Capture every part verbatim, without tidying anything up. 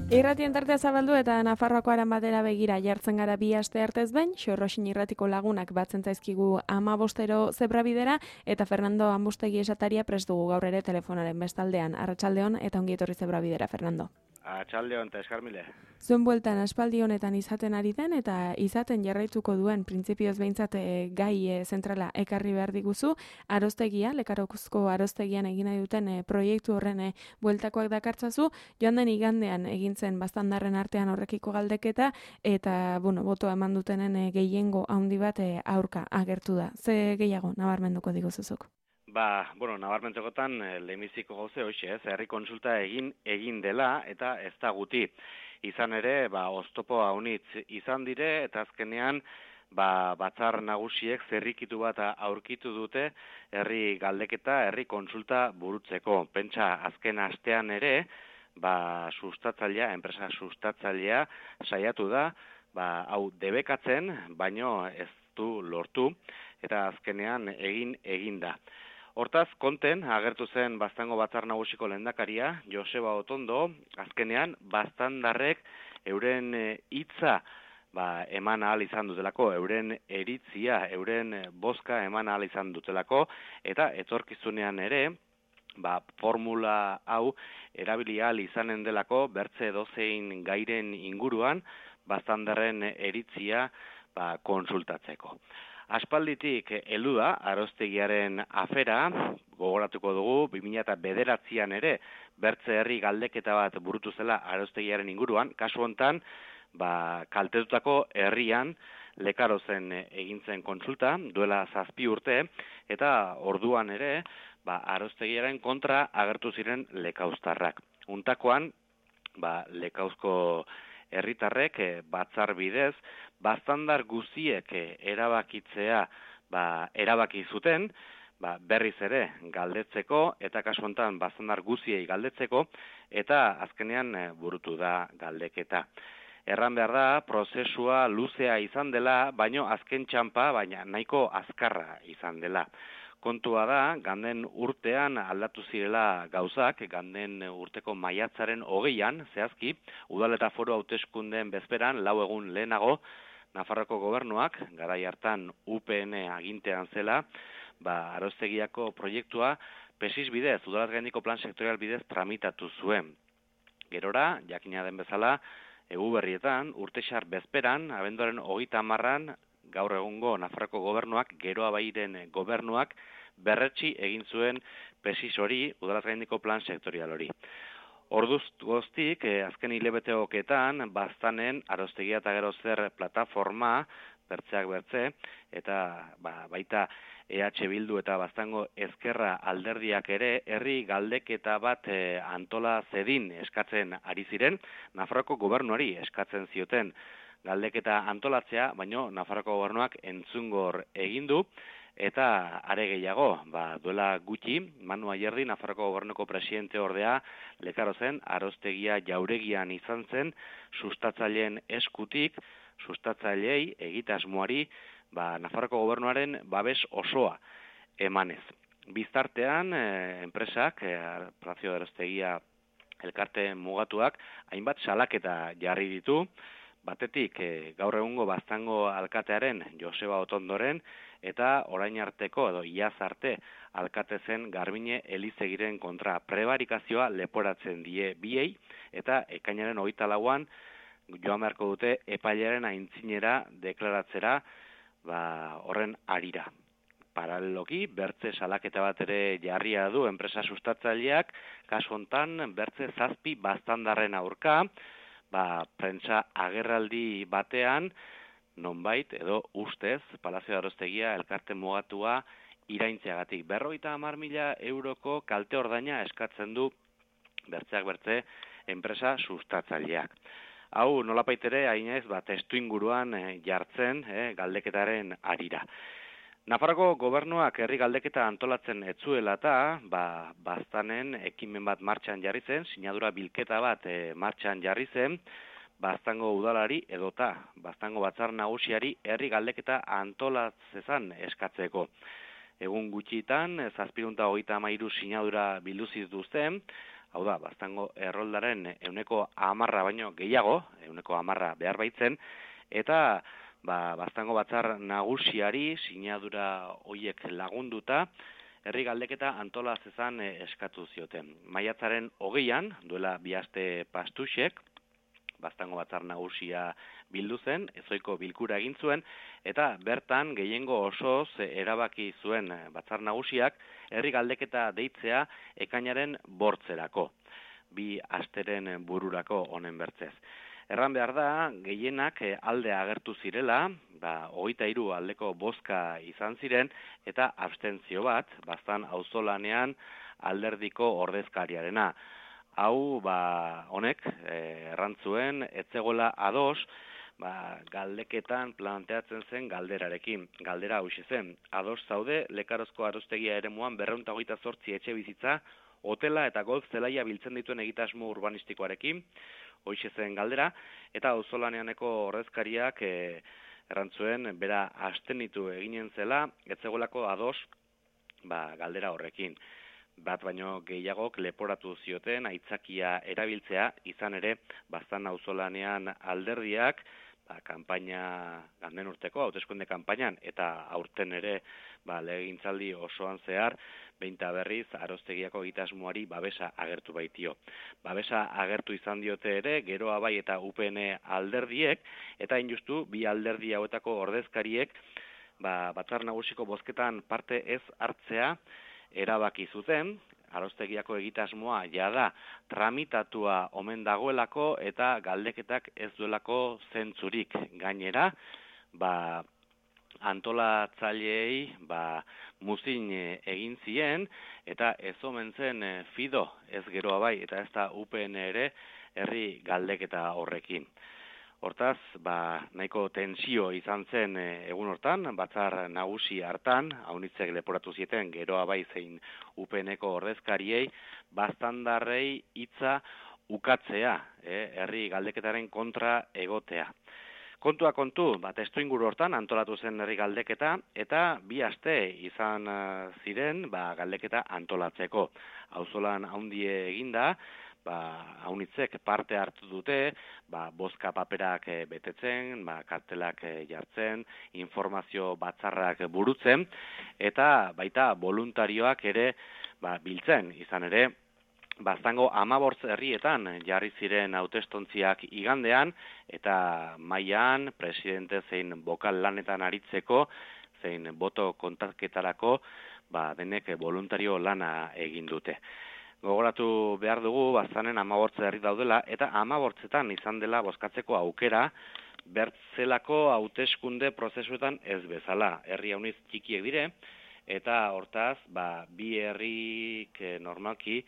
Irratien tartea zabaldu eta Nafarroako aran batera begira jartzen gara bi aste artez behin, Xorroxin irratiko lagunak batzen zaizkigu amabostero zebrabidera eta Fernando Ambustegi esataria prest dugu gaur ere telefonaren bestaldean. Arratsaldeon eta ongi etorri zebrabidera, Fernando. Arratsaldeon eta eskarmile. Zuen bueltan aspaldi honetan izaten ari den eta izaten jarraituko duen printzipioz behintzat e, gai e, zentrala ekarri behar diguzu, aroztegia, Lekarokuzko aroztegian egin nahi duten e, proiektu horren e, bueltakoak dakartzazu, joan den igandean egin zen bastandarren artean horrekiko galdeketa eta, bueno, botoa eman dutenen e, gehiengo handi bat e, aurka agertu da. Ze gehiago nabarmenduko diguzuzuk? Ba, bueno, nabarmentzekotan lehenbiziko gauze hoxe, ez, herri kontsulta egin egin dela eta ez da guti. Izan ere, ba, oztopo haunitz izan dire eta azkenean ba, batzar nagusiek zerrikitu bat aurkitu dute herri galdeketa, herri kontsulta burutzeko. Pentsa, azken astean ere, ba, sustatzailea, enpresa sustatzailea saiatu da, ba, hau debekatzen, baino ez du lortu eta azkenean egin egin da. Hortaz, konten, agertu zen Baztango Batzar Nagusiko lehendakaria, Joseba Otondo, azkenean, baztandarrek euren hitza ba, eman ahal izan dutelako, euren eritzia, euren bozka eman ahal izan dutelako, eta etorkizunean ere, ba, formula hau erabili ahal izanen delako, bertze dozein gairen inguruan, baztandarren eritzia ba, konsultatzeko. Aspalditik heldu da aroztegiaren afera, gogoratuko dugu, bi mila bederatzian ere bertze herri galdeketa bat burutu zela aroztegiaren inguruan, kasu hontan, ba, kaltetutako herrian Lekarozen egin zen kontsulta, duela zazpi urte, eta orduan ere, ba, aroztegiaren kontra agertu ziren lekauztarrak. Untakoan, ba, lekauzko herritarrek batzar bidez, baztandar guziek erabakitzea ba, erabaki zuten, ba, berriz ere galdetzeko, eta kasu honetan baztandar guziei galdetzeko, eta azkenean burutu da galdeketa. Erran behar da, prozesua luzea izan dela, baino azken txampa, baina nahiko azkarra izan dela. Kontua da, ganden urtean aldatu zirela gauzak, ganden urteko maiatzaren hogeian, zehazki, udal eta foru hauteskundeen bezperan, lau egun lehenago, Nafarroko gobernuak, garai hartan U P N agintean zela, ba, aroztegiako proiektua pesis bidez, udalat gaindiko plan sektorial bidez tramitatu zuen. Gerora, jakina den bezala, egu berrietan, urtexar bezperan, abenduaren hogeita hamarran, gaur egungo Nafarroko gobernuak, Geroa Bairen gobernuak, berretsi egin zuen pesis hori, udalat gaindiko plan sektorial hori. Orduz goztik, eh, azken hilebeteoketan, baztanen aroztegia eta gero zer plataforma, bertzeak bertze, eta ba, baita E H Bildu eta Baztango Ezkerra alderdiak ere herri galdeketa bat eh, antola zedin eskatzen ari ziren, Nafarroko gobernuari eskatzen zioten galdeketa antolatzea, baino Nafarroko gobernuak entzungor egin du, eta are gehiago, ba, duela gutxi, Manu Ayerdi, Nafarroko gobernuko presidente ordea, Lekarozen, aroztegia jauregian izan zen, sustatzaileen eskutik, sustatzailei egitasmoari, ba, Nafarroko gobernuaren babes osoa emanez. Biztartean, eh, enpresak, eh, Palacio de Aroztegia elkarte mugatuak, hainbat salaketa jarri ditu, batetik eh, gaur egungo Baztango alkatearen Joseba Otondoren, eta orain arteko edo iaz arte alkate zen Garbine Elizegiren kontra prebarikazioa leporatzen die biei, eta ekainaren hogeita lauan joan beharko dute epailearen aintzinera deklaratzera ba, horren arira. Paraleloki, bertze salaketa bat ere jarria du enpresa sustatzaileak, kasu hontan bertze zazpi baztandarren aurka, ba, prentsa agerraldi batean, nonbait edo ustez, Palazio de Aroztegia elkarte mugatua iraintzeagatik. Berrogeita hamar mila euroko kalte ordaina eskatzen du bertzeak bertze enpresa sustatzaileak. Hau nolapait ere hainez ba, testu inguruan eh, jartzen eh, galdeketaren arira. Nafarroko gobernuak herri galdeketa antolatzen etzuela eta ba, baztanen ekimen bat martxan jarri zen, sinadura bilketa bat eh, martxan jarri zen, Baztango udalari edota Baztango Batzar Nagusiari herri galdeketa antolatzezan eskatzeko. Egun gutxitan, zazpirunta hogeita hamairu sinadura biluziz duzten, hau da, Baztango erroldaren euneko hamarra baino gehiago, euneko hamarra behar baitzen, eta ba, Baztango batzar nagusiari sinadura hoiek lagunduta, herri galdeketa antola zezan eskatu zioten. Maiatzaren hogeian, duela bi aste pastuxek, Baztango batzar nagusia bildu zen, ezoiko bilkura egin zuen, eta bertan gehiengo osoz erabaki zuen batzar nagusiak herri galdeketa deitzea ekainaren bortzerako, bi asteren bururako honen bertzez. Erran behar da, gehienak alde agertu zirela, ba, hogeita hiru aldeko bozka izan ziren, eta abstentzio bat, Baztan auzolanean alderdiko ordezkariarena. Hau, ba, honek, errantzuen, etzegola ados, ba, galdeketan planteatzen zen galderarekin. Galdera hau zen, ados zaude, Lekarozko Arostegia eremuan berrehun eta hogeita zortzi etxe bizitza, hotela eta golf zelaia biltzen dituen egitasmo urbanistikoarekin, hoixe zen galdera, eta auzolaneaneko ordezkariak e, errantzuen, bera abstenitu eginen zela, etzegoelako ados, ba, galdera horrekin. Bat baino gehiagok leporatu zioten aitzakia erabiltzea, izan ere, Baztan auzolanean alderdiak, ba, kanpaina, ganden urteko, hauteskunde kanpainan, eta aurten ere, ba, legegintzaldi osoan zehar, behinta berriz, Arostegiako egitasmoari babesa agertu baitio. Babesa agertu izan diote ere, Geroa Bai eta U P N alderdiek, eta injustu, bi alderdi hauetako ordezkariek, ba, batzar nagusiko bozketan parte ez hartzea, erabaki zuten, Arostegiako egitasmoa jada tramitatua omen dagoelako eta galdeketak ez duelako zentzurik. Gainera, ba, antolatzaileei ba, muzin egin zien eta ez omen zen Fido, ez Geroa Bai eta ez da U P N ere herri galdeketa horrekin. Hortaz, ba, nahiko tensio izan zen egun hortan, batzar nagusi hartan, haunitzek leporatu zieten Geroa Bai zein U P N-ko ordezkariei, baztandarrei hitza ukatzea, eh, herri galdeketaren kontra egotea. Kontua kontu, ba, testuinguru hortan antolatu zen herri galdeketa, eta bi aste izan ziren ba, galdeketa antolatzeko. Auzolan handie eginda, ba, haunitzek parte hartu dute, ba, bozka paperak betetzen, ba, kartelak jartzen, informazio batzarrak burutzen, eta baita voluntarioak ere ba, biltzen, izan ere, Baztango hamabortz herrietan jarri ziren hautestontziak igandean, eta mailan presidente zein bokal lanetan aritzeko, zein boto kontaketarako, ba, denek voluntario lana egin dute. Gogoratu behar dugu, Baztanen hamabortz herri daudela, eta hamabortzetan izan dela bozkatzeko aukera, bertzelako hauteskunde prozesuetan ez bezala. Herri hauniz txikiek dire, eta hortaz, ba, bi herrik eh, normalki,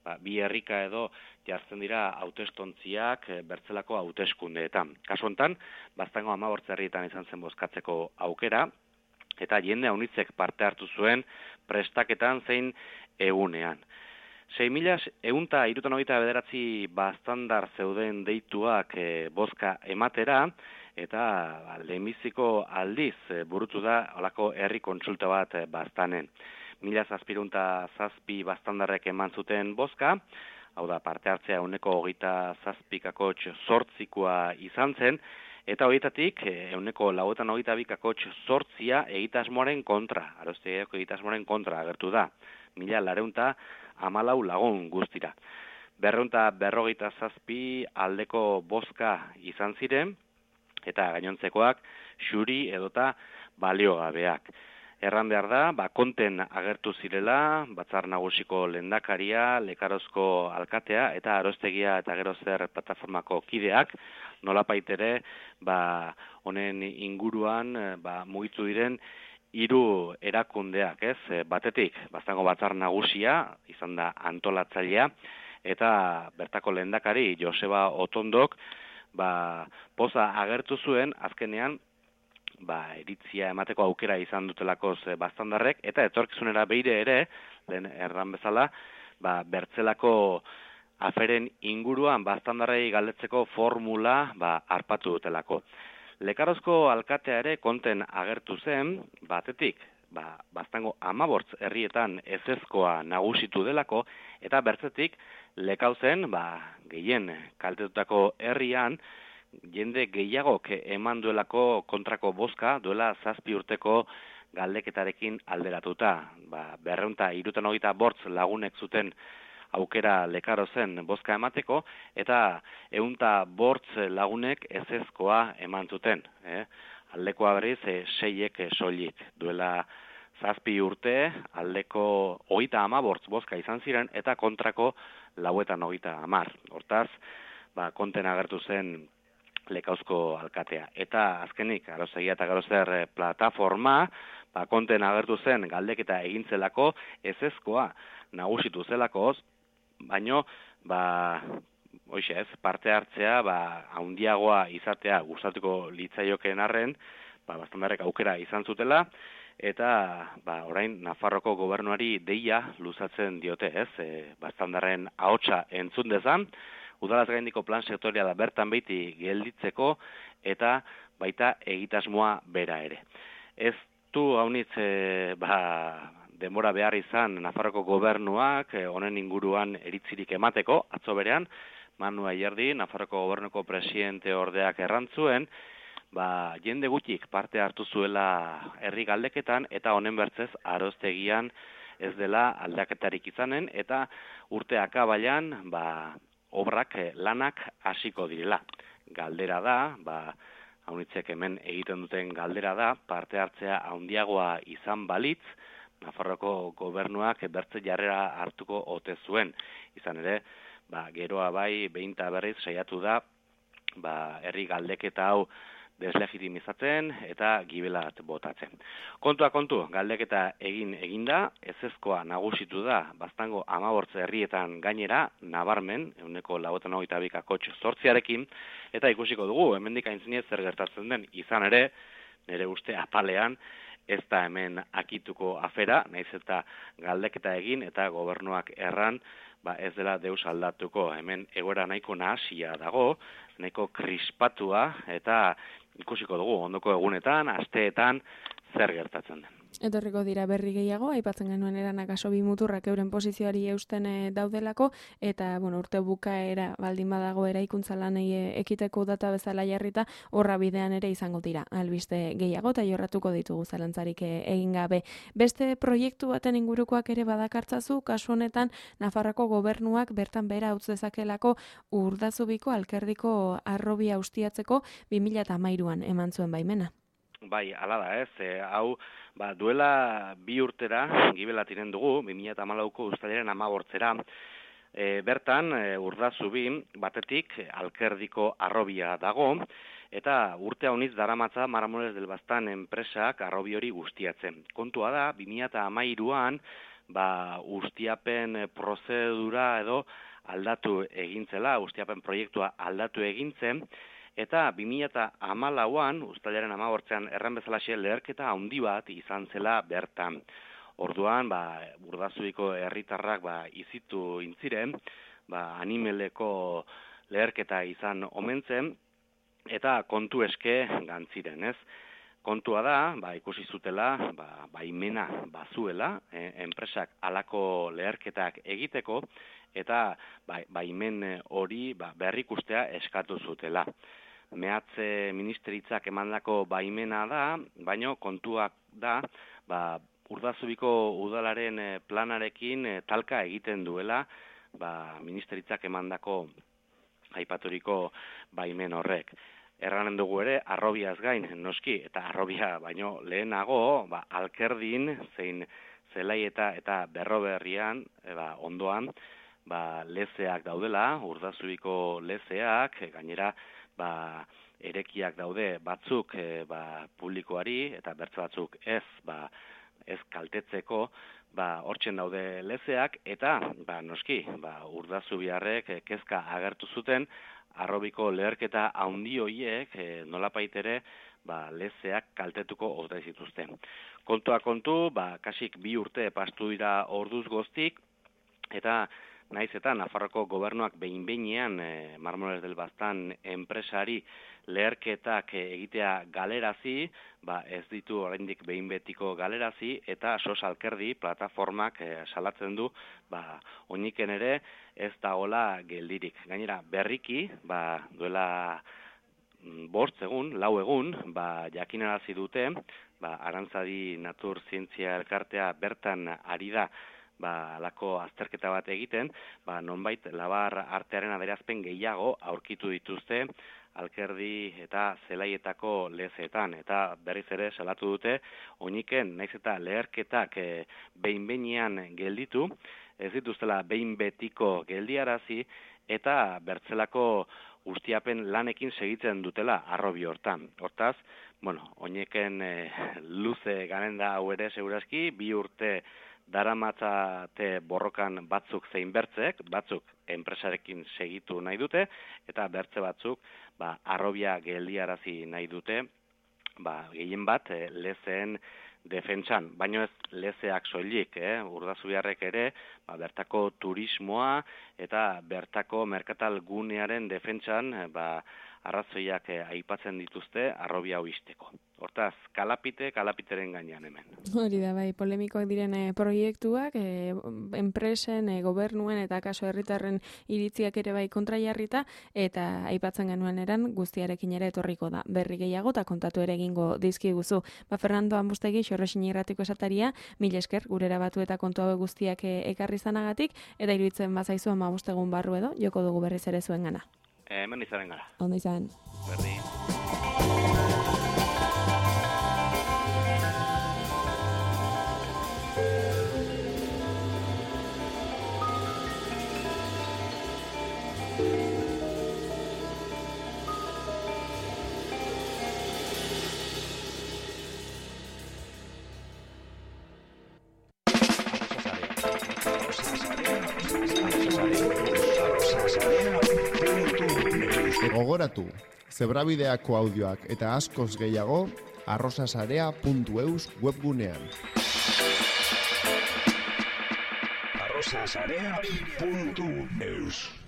ba, bi herrika edo jartzen dira hautestontziak eh, bertzelako hauteskundeetan. Kasu hontan, Baztango hamabortz herrietan izan zen bozkatzeko aukera, eta jende haunitzek parte hartu zuen prestaketan zein egunean. sei mila ehunta hirurogeita bederatzi baztandar zeuden deituak e, bozka ematera, eta ba, lehenbiziko aldiz e, burutu da holako herri kontsulta bat e, Baztanen. Mila zazpirunta zazpi baztandarrek eman zuten bozka, hau da parte hartzea ehuneko hogeita zazpikakotx zortzikoa izan zen, eta horietatik ehuneko lauetan hogeita bikakotx zortzia egitasmoaren kontra, Arostegiako egitasmoaren kontra agertu da. Mila lareunta hamalau lagun guztira. Berreunta berrogeita zazpi aldeko bozka izan ziren, eta gainontzekoak xuri edota baliogabeak. Erran behar da, ba, konten agertu zirela, batzar nagusiko lehendakaria, Lekarozko alkatea, eta Arostegia eta Gero Zer plataformako kideak, nolapait ere, ba, honen inguruan, ba, mugitu diren, hiru erakundeak, ez? Batetik, Baztango batzar nagusia, izan da antolatzailea, eta bertako lehendakari Joseba Otondok, ba, poza agertu zuen, azkenean, ba, iritzia emateko aukera izan dutelakoz baztandarrek, eta etorkizunera beire ere, lehen erran bezala, ba, bertzelako aferen inguruan baztandarrei galdetzeko formula ba, arpatu dutelako. Lekarozko alkatea ere konten agertu zen, batetik, ba, baztango amabortz herrietan ezezkoa nagusitu delako, eta bertzetik lekauzen, ba, gehien kaltetutako herrian, jende gehiagok eman duelako kontrako bozka, duela zazpi urteko galdeketarekin alderatuta. Ba, berreunta irutan hogeita bortz lagunek zuten aukera lekaro zen bozka emateko, eta eunta bortz lagunek ezezkoa eman zuten. Eh? Aldekoa berriz, e, seiek soilik. Duela zazpi urte, aldeko hogeita ama bortz bozka izan ziren, eta kontrako lauetan hogeita amar. Hortaz, ba, konten agertu zen Lekauzko alkatea. Eta azkenik, Arostegia eta Garoster plataforma, ba, konten agertu zen galdeketa egintzelako ezezkoa nagusitu zelakoz, baino, ba, hoxe ez, parte hartzea, ba, haundiagoa izatea gustatuko litzaiokeen arren, ba, Baztandarrek aukera izan zutela, eta ba, orain Nafarroko gobernuari deia luzatzen diote, ez, e, Baztandarren ahotsa entzun dezan, udalaz gaindiko plan sektoriala bertan beiti gelditzeko, eta baita egitasmoa bera ere. Ez du haunitz, e, ba, denbora behar izan Nafarroko gobernuak honen inguruan eritzirik emateko, atzo berean, Manu Ayerdi, Nafarroko gobernuko presidente ordeak errantzuen, ba, jende gutxik parte hartu zuela herri galdeketan, eta honen bertzez Arostegian ez dela aldaketarik izanen, eta urte akabailan, ba, obrak lanak hasiko direla. Galdera da, ba, haunitzek hemen egiten duten galdera da, parte hartzea handiagoa izan balitz, Nafarroko gobernuak bertze jarrera hartuko ote zuen. Izan ere, ba, geroa bai, behin eta berriz saiatu da, ba, herri galdeketa hau deslegitimizatzen eta gibelat botatzen. Kontua kontu, galdeketa egin eginda, ezezkoa nagusitu da, Baztango amabortz herrietan gainera, nabarmen, euneko lauetan hogeita bika kotx zortziarekin, eta ikusiko dugu, hemendik aintzinez zer gertatzen den, izan ere, nire uste apalean, ez da hemen akituko afera, naiz eta galdeketa egin eta gobernuak erran, ba ez dela deus aldatuko. Hemen egoera nahiko nahasia dago, nahiko krispatua, eta ikusiko dugu ondoko egunetan, asteetan, zer gertatzen den. Etorriko dira berri gehiago, aipatzen genuen eranak aso bi muturrak euren posizioari eusten daudelako, eta bueno, urte bukaera baldin badago eraikuntza lanei ekiteko data bezala jarrita, horra bidean ere izango dira albiste gehiago, eta jorratuko ditugu zalantzarik egin gabe. Beste proiektu baten ingurukoak ere badakartzazu, kasu honetan Nafarroko gobernuak bertan bera utz dezakelako Urdazubiko alkerdiko harrobia ustiatzeko bi mila hamairuan eman zuen baimena. Bai, hala da ez, e, hau, ba, duela bi urtera, gibelat iren dugu, bi mila hamalauko uztailaren hamabortzera, e, bertan, e, Urdazubi, batetik, alkerdiko harrobia dago, eta urte haunitz daramatza Maramones del Baztan enpresak harrobi hori guztiatzen. Kontua da, bi mila hamairuan, ba, ustiapen prozedura edo aldatu egintzela, ustiapen proiektua aldatu egintzen, eta bi mila hamalauan, uztailaren hamabortzean erran bezalaxe leherketa handi bat izan zela bertan. Orduan, ba, Urdazubiko herritarrak ba, izitu intziren, ba, animeleko leherketa izan omentzen, eta kontu eske gantziren, ez? Kontua da, ba, ikusi zutela, ba, baimena bazuela, e, enpresak halako leherketak egiteko, eta ba, baimen hori ba, berrikustea eskatu zutela. Mehatze ministeritzak emandako baimena da, baino kontuak da, ba, Urdazubiko udalaren planarekin talka egiten duela, ba, ministeritzak emandako aipaturiko baimen horrek. Erranen dugu ere, harrobiaz gain, noski, eta harrobia baino lehenago, ba, alkerdin, zein zelaieta eta berroberrian, e, ba, ondoan, ba, lezeak daudela, Urdazubiko lezeak, gainera, ba, erekiak daude batzuk e, ba, publikoari, eta bertze batzuk ez, ba, ez kaltetzeko, ba, hortzen daude lezeak, eta, ba, noski, ba, Urdazubiarrek kezka agertu zuten, harrobiko leherketa handi hoiek e, nolapait ere ba, lezeak kaltetuko ote zituzten. Kontua kontu, ba, kasik bi urte pastu dira orduz goztik, eta naiz eta Nafarroko gobernuak behin-behinean e, Marmoles del Baztan enpresari leherketak egitea galerazi, ba ez ditu oraindik behin betiko galerazi, eta Sos Alkerdi plataformak e, salatzen du, ba oiniken ere ez dagoela geldirik. Gainera berriki, ba duela bost egun, lau egun, ba jakinarazi dute, ba Arantzadi Natur Zientzia Elkartea bertan ari da ba alako azterketa bat egiten, ba nonbait labar artearen adierazpen gehiago aurkitu dituzte Alkerdi eta Zelaietako lezeetan, eta berriz ere salatu dute oiniken naiz eta leherketak e, behin-behinean gelditu, ez dituztela behin betiko geldiarazi, eta bertzelako ustiapen lanekin segitzen dutela arrobi hortan. Hortaz, bueno, oineken e, luze garen da hau ere segurazki, bi urte daramatzate borrokan batzuk zein bertzek, batzuk enpresarekin segitu nahi dute, eta bertze batzuk ba, arrobia geldiarazi nahi dute, ba, gehien bat e, lezeen defentsan, baino ez lezeak soilik, eh? Urdazubiarrek ere, ba, bertako turismoa eta bertako merkatal gunearen defentsan ba, arrazoiak eh, aipatzen dituzte arrobia hau izteko. Hortaz, kalapite, kalapiteren gainean hemen. Hori da, bai, polemikoak diren eh, proiektuak, eh, enpresen, eh, gobernuen eta kaso herritarren iritziak ere bai kontrajarrita, eta aipatzen genuen eran guztiarekin ere etorriko da. Berri gehiago eta kontatu ere egingo dizkiguzu. Ba, Fernando Ambustegi, Xorroxin irratiko esataria, mil esker, gurera batu eta kontu hau guztiak eh, ekarri zanagatik, eta iruditzen bazaizu ama bustegun barru edo, joko dugu berriz ere zuen gana. E, hemen izaren gara. Ondo izan. Berdi. Gogoratu, zebrabideako audioak eta askoz gehiago arrosasarea puntu eus webgunean. arrosasarea puntu eus